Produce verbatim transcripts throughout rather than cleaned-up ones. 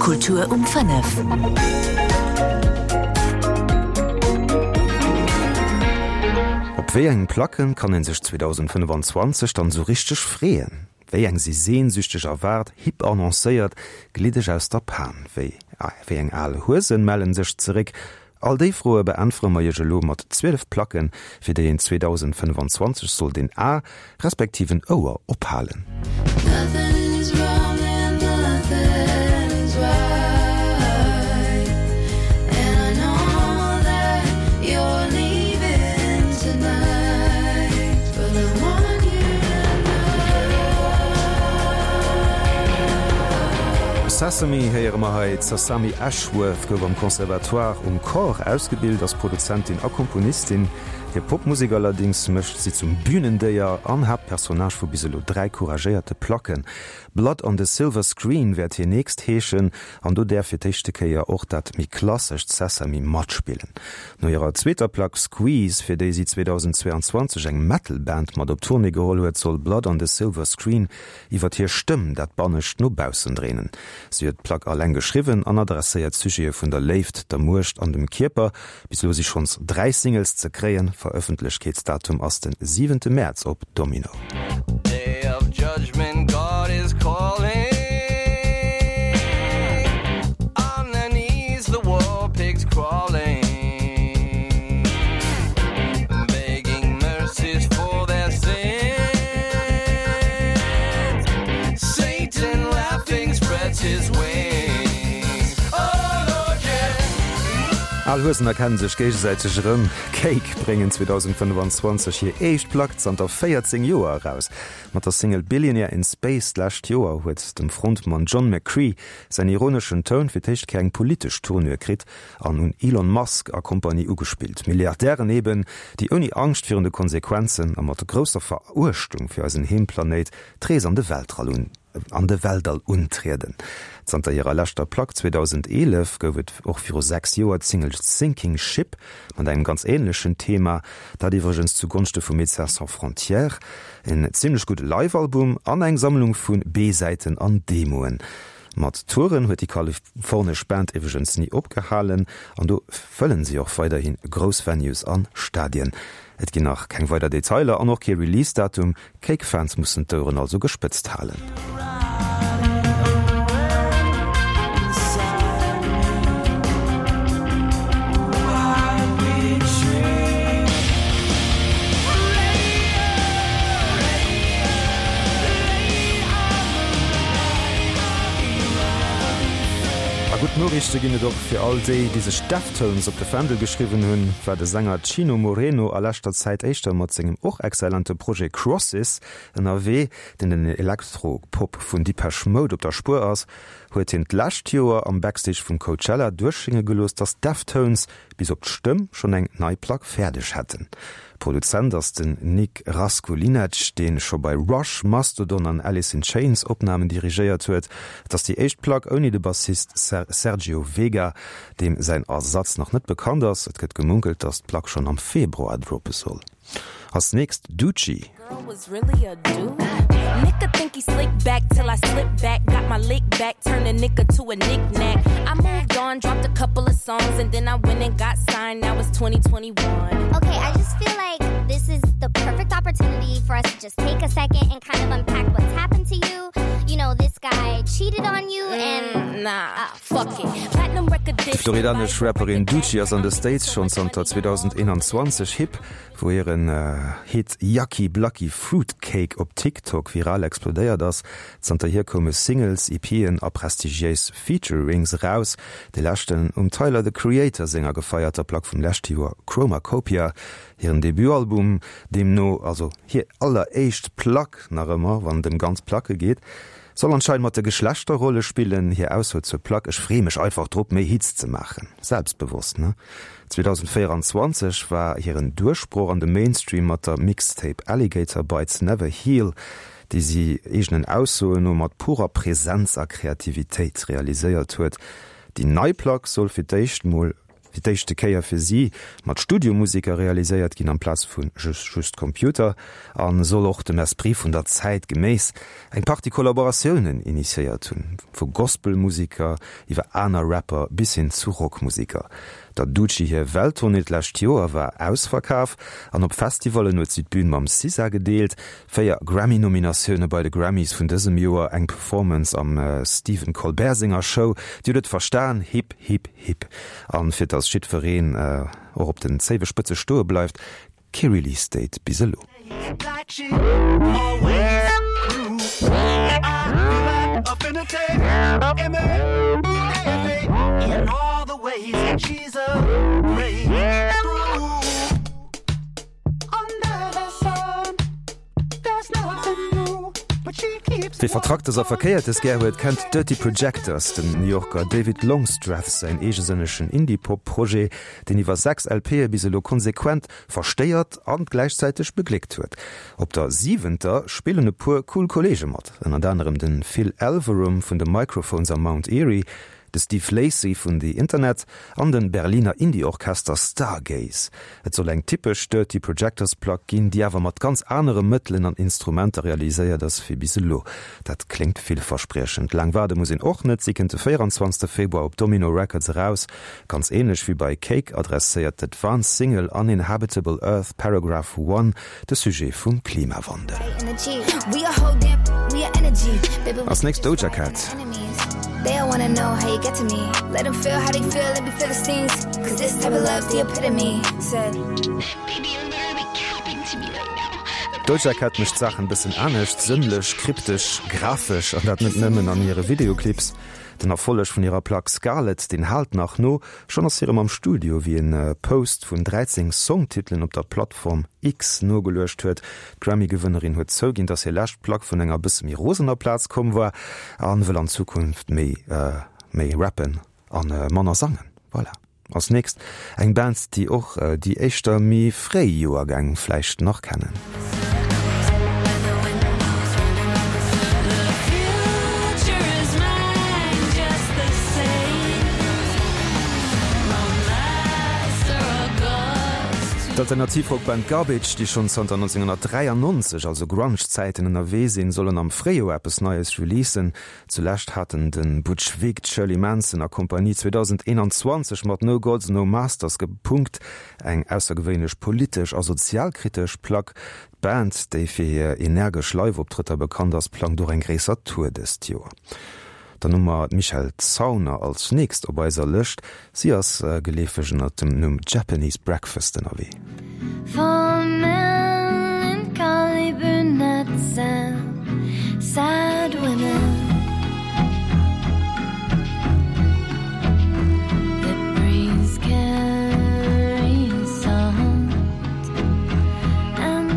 Kultur um fënnef. Op wéi eng Placken kann een sech zweedausendfënnefanzwanzeg dann esou richteg freeën? Wéi eng si sehnsüchteg erwaart, hip annoncéiert, gliddeg aus der Pan? Wéi wéi eng al Huesen mellen sech zeréck? All déi Froe beäntwere mer iech elo mat zwielef Placken, fir déi een zweedausendfënnefanzwanzeg sollt een A respektiv en Ouer ophalen. Sesame héiere mer hei. D'Sasami Ashworth gouf am Conservatoire um Cor ausgebilt, ass Produzentin a Komponistin. Hir Popmusek allerdéngs mécht si zum Bünendéier an Haaptpersonnage vu bis elo dräi couragéierte Placken. Blood on the Silver Screen wäert hir nächst heeschen an do däerf fir d'éischte Kéier och dat méi klassescht Sesame matspillen. No hirer zweeter Plack Squeeze, fir déi si zweedausendzweeanzwanzeg eng Metal-Band mat op Tournée geholl huet, soll Blood on the Silver Screen iwwer hir Stëmm dat Bannescht no baussen dréinen. Si huet d'Plack alleng geschriwwen an adresséiert Sujete vun der Léift, der Muecht an dem Kierper. Bis elo si schonns dräi Singles ze kréien. Verëffentlechkeetsdatum ass de siwente Mäerz op Domino. Al Huesen erkennen sech géigesäiteg erëm. Cake bréngen zweedausendfënnefanzwanzeg hir éischt Plack zanter véierzéng Joer eraus. Mat der Single Billionaire in Space d'lescht Joer huet dem Frontmann John McCrea säin ironeschen Toun fir d'éischt Kéier eng politesch Tournure kritt an un Elon Musk a Kompanie ugespillt. Milliardären eben, déi ouni Angscht virun de Konsequenzen a mat grousser Veruechtung fir eisen Heemplanéit d'Rees an de Weltrall un an de Weltall untrieden. Zanter hirer leschter Plack zweedausendeelef gouf et och viru sechs Joer d'Single Sinking Ship mat engem ganz änlechen Thema, dat iwwregens zu Gonschte vu Médecins Sans Frontières. En zimmlech gudde Live-Album an eng Sammlung vu B-Säiten an Demoen. Mat Touren huet déi kalifornesch Band iwwregens ni opgehalen an do fëllen si och weiderhi grouss Venues an Stadien. Et ginn nach keng weider Detailer an och kee Release-Datum, Cake-Fans mussen d'Oueren also gespëtzt halen. A gutt Noriichte ginn et och fir all déi, déi sech Deftones op de Fändel geschriwwen hunn. War de Sänger Chino Moreno a leschter Zäit éischter mat sengem och exzellente Projet Crosses ënnerwee, deen den Elektro-Pop vun Depeche Mode op der Spuer ass, huet hien d'lescht Joer am Backstage vum Coachella duerchschénge gelooss, dass Deftones bis op d'Stëmm schonn eng nei Plack fäerdeg hätten. Produzent ass den Nick Raskulinecz, dee scho bei Rush, Mastodon an Alice in Chains Opnamen dirigéiert huet. Et ass déi éischt Plack ouni de Bassist Sergio Vega, deem säin Ersatz nach net bekannt ass. Et gëtt gemunkelt, datt d'Plack schonn am Februar droppe soll. Als nächst Doechii. D'floridanesch Rapperin Doechii ass an de States schonn zanter zweedausendeenanzwanzeg hip, wou hiren Hit Yucky Blucky Fruitcake op TikTok viral explodéiert ass. Zanterhier koume Singles, EPen a prestigiéis Featurings eraus, dee leschten um Tyler, The Creator senger gefeierter Plack vum leschte Joer Chromacopia. Hiren Debutalbum deemno, also hir alleréischt Plack nach ëmmer, wann et ëm ganz Placke geet, soll anscheinend mat de Geschlechterrolle spillen. Hir Ausso zur Plack, Ech freeë mech einfach drop, méi Hits ze maachen. Selbstbewosst, ne? zweedausendvéieranzwanzeg war hiren Duerchbroch an de Mainstream mat der Mixtape Alligator Bites Never Heal, déi si eegenen Aussoen no mat purer Presenz a Kreativitéit realiséiert huet. Déi nei Plack soll fir d'éischt mol fir d'éischte Kéier fir si mat Studiomuseker realiséiert ginn amplaz vu just Computer a soll och dem Esprit vun der Zäit geméiss eng Partie Kollaboratiounen initiéiert hunn, vu Gospelmuseker iwwer aner Rapper bis hin zu Rockmuseker. Der Doechii hir Welttournée d'lescht Joer war ausverkaf an op Festivallen huet si d'Bün mam SZA gedeelt. Véier Grammy-Nominatioune bei de Grammys vun dësem Joer, eng Performance am Stephen Colbert senger Show, Dir hutt et verstan, Hip Hip Hip. An fir dass jiddwereen och op den Zéiwespëtze stoe bleift, kee Release Date bis elo. Wie Vertracktes a Verkéiertes gär huet, kennt Dirty Projectors, dem New Yorker David Longstreth säin eegesënnegen Indie-Pop-Projet, deen iwwer sechs LPe bis elo konsequent verstéiert an gläichzäiteg begléckt huet. Op der siwenter spillen e puer cool Kolleege mat, ënnert anerem de Phil Elverum vun The Microphones a Mount Eerie, de Steve Lacy vun The Internet an de Berliner Indie-Orchester Stargaze. Et soll eng typesch Dirty Projectors Plack ginn, déi awer mat ganz anere Mëttelen an Instrumenter realiséiert ass wéi bis elo. Dat kléngt villverspriechend. Laang waarde muss een och net, si kënnt de véierundzwanzegste Februar op Domino Records eraus. Ganz änlech wéi bei Cake adresséiert d'Advance Single Uninhabitable Earth Paragraph One de Sujet vum Klimawandel. Als nächst Doja Cat. D'Doja Cat mécht d'Saachen bëssen anescht, sënnlech, kryptesch, grafesch, an dat net nëmmen an hire Videoclips. Den Erfolleg vun hirer Plack Scarlet, deen haalt nach no. Schonn ass si erëm am Studio, wéi en Post vun dräizéng Songtitelen op der Plattform X nogeluecht huet. D'Grammy-Gewënnerin huet zouginn, dass hir lescht Plack vun enger bësse méi rosener Plaz komm war a wëll an Zukunft méi méi rappen a manner sangen. Voilà. Als nächst eng Band, déi och déi éischter méi fréi Joergäng vläicht nach kennen. D'Alternativ-Rockband Garbage, déi schonn zanter nonzénghonnertdräiannonzeg, also Grunge-Zäiten, ënnerwee sinn, sollen am Fréijoer eppes Neies releasen. Zulescht haten de Butch Vig, d'Shirley Manson a Kompanie zweedausendeenanzwanzeg mat No Gods, No Masters gepunkt, eng aussergewéinlech politesch a sozialkritesch Plack. D'Band, déi fir hir energesch Live-Optrëtter bekannt ass, plangt och eng gréisser Tour dëst Joer. Dann hu mer d'Michelle Zauner als nächst op eiser Lëscht. Si ass geleefeg ënnert dem Numm Japanese Breakfast ënnerwee.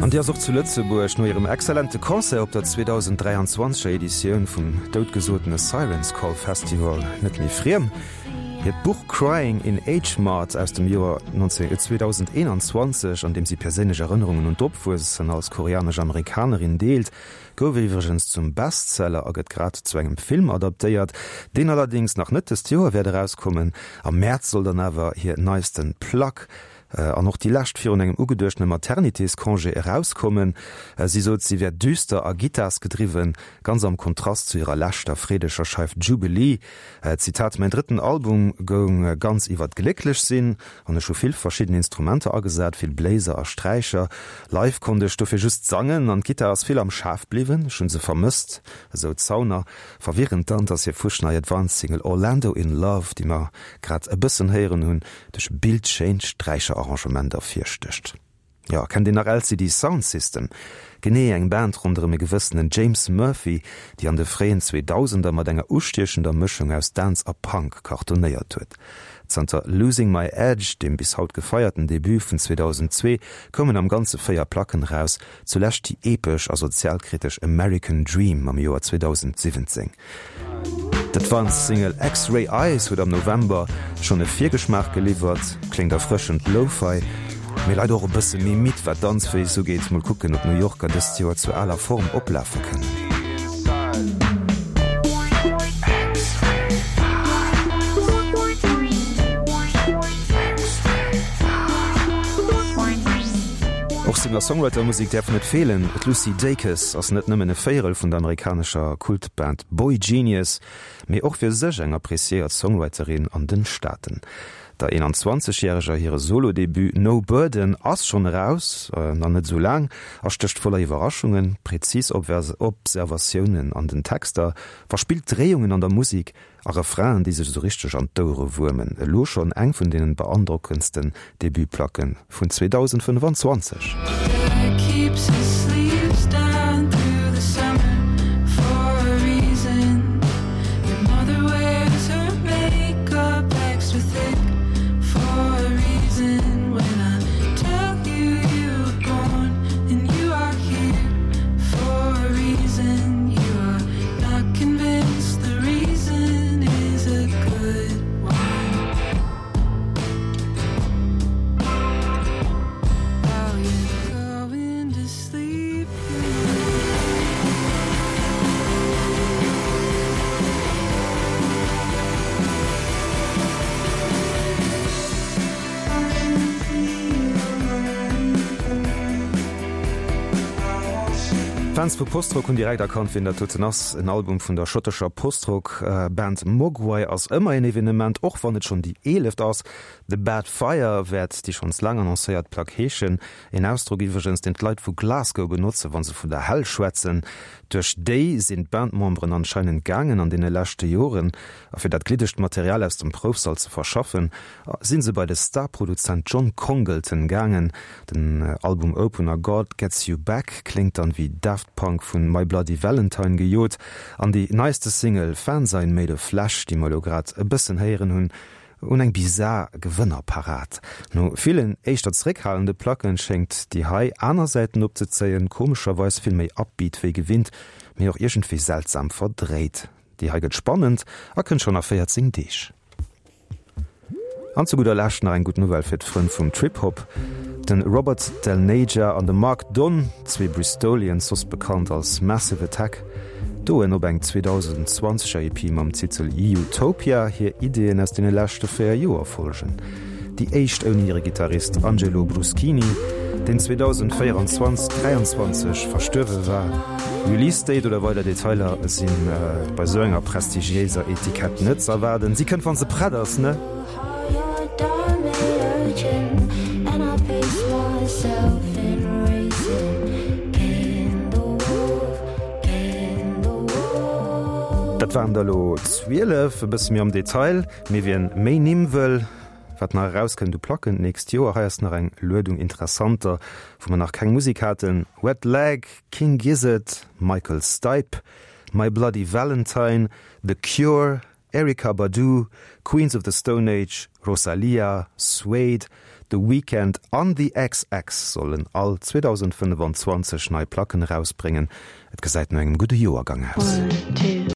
An déi ass och zu Lëtzebuerg no hirem exzellente Concert op der zweedausenddräianzwanzeg er Editioun vum doutgesotene Siren's Call Festival net méi friem. Hiert Buch Crying in H Mart aus dem Joer zweedausendeenanzwanzeg, an deem si perséinlech Erënnerungen un d'Opwuessen als koreanesch Amerikanerin deelt, gouf iwwregens zum Bestseller a gëtt grad zu engem Film adaptéiert, deen allerdéngs nach net dëst Joer wäert erauskommen. Am Mäerz soll dann awer hir neisten Plack, an och déi lescht virun engem ugeduechtene Maternitéscongé erauskommen. Si sot, si wär düster a gittarsgedriwwen, ganz am Kontrast zu hirer leschter freedeger Scheif Jubilee. Zitat, Mäin drëtten Album goung ganz iwwer d'Glécklech sinn an ech hu vill verschidden Instrumenter agesat, vill Bléiser a Sträicher. Live konnt ech dofir just sangen an d'Gittar ass vill am Schaf bliwwen. Ech hu se vermësst, esou d'Zauner. Verwirrend dann, dass hir fuschnei Advance-Single Orlando in Love, déi mer grad e bëssen héieren hunn, duerch bildschéint Sträicherarrangement ervirstécht. Jo, kennt een nach L C D Soundsystem? Genee, eng Band ronderëm e gewëssenen James Murphy, déi an de fréien Zweedausender mat enger ustiechender Mëschung aus Dance a Punk cartonéiert huet. Zanter Losing My Edge, deem bis haut gefeierten Debut vun zweedausendzwee, koumen am Ganze véier Placken eraus, zulescht déi epesch a sozialkritesch American Dream am Joer zweedausensiwwenzéng. D'Advance-Single X-Ray Eyes huet am November schonn e Virgeschmaach geliwwert, kléngt erfrëschend Lo-Fi, mee leider och e bësse méi midd wat d'Danzféiss ugeet. Mol kucken, ob d'New Yorker dëst Joer zur aler Form oplafe kënnen. Singer-Songwriter-Musek däerf net feelen. D'Lucy Dacus ass net nëmmen e Véierel vun der amerikanescher Kultband Boygenius, mee och fir sech eng appreciéiert Songwriterin an den Staaten. Der einundzwanzeg järeger hire Solo-Debut No Burden ass schonn eraus, nach net esou laang, a stécht voller Iwwerraschungen, präzis Observatiounen an den Texter, verspillt Dréiungen an der Musek a Refrainen, déi sech esou richteg an d'Ouere wuermen. Elo schonn eng vun deenen beandrockendsten Debutplacken vun zweedausendfënnfanzwanzeg. Fans vu Postrock hunn direkt erkannt, wien dat doten ass. En Album vun der schottescher Postrock-Band Mogwai ass ëmmer en Evenement, och wann et schonn déi eeleft ass. The Bad Fire wäert déi schonns laang annoncéiert Plack heeschen. En Ausdrock iwwregens, deen d'Leit vu Glasgow benotzen, wa se vun der Hell schwätzen. Duerch déi sinn d'Bandmemberen anscheinend gaangen an deene leschte Joren. A fir dat gliddegt Material aus dem Proufsall ze verschaffen, si se bei de Star-Produzent John Congleton gaangen. Den Album-Opener God Gets You Back kléngt dann wéi Daft Punk vun My Bloody Valentine gejot. An déi neiste Single Fanzine Made of Flesh, déi mer elo grad e bëssen héieren hunn, un eng bizar Gewënnerparad. No villen éischter zeréckhalende Placken schéngt déi hei aner Säiten opzezéien, komescherweis vill méi upbeat wéi gewinnt, mee och iergendwéi seltsam verdréit. Déi hei gëtt spannend a kënnt schonn a véierzéng Deeg. An zu gudder Lescht nach eng gutt Nouvelle fir d'Frënn vum Trip-Hop, De Robert Del Naja an de Mark Dunn, zwee Bristolians, soss bekannt als Massive Attack, doen op eng zweedausendzwanzeger E P mam Titel Eutopia hir Ideeën aus deene leschte véier Joer folgen. Déi éischt ouni hire Gittarist Angelo Bruschini, deen zweedausendvéieranzwanzeg dräianzwanzeg verstuerwe war. Release Date oder weider Detailer si bei sou enger prestigiéiser Etikett net z'erwaarden. Si kënnt wann se prett ass, ne? Dat waren der elo zwielef, e bësse méi am Detail. Mee wien méi Nimm wëll, wat nach erauskënnt u Placken d'nächst Joer, hei ass nach eng Luedung interessanter, wou mer nach keng Musek haten, Wet Leg, King Gizzard, Michael Stipe, My Bloody Valentine, The Cure, Erykah Badu, Queens of the Stone Age, Rosalía, Suede, The Weeknd an The xx sollen all zweedausendfënnfanzwanzeg nei Placken erausbréngen. Et gesäit no engem gudde Joergang aus.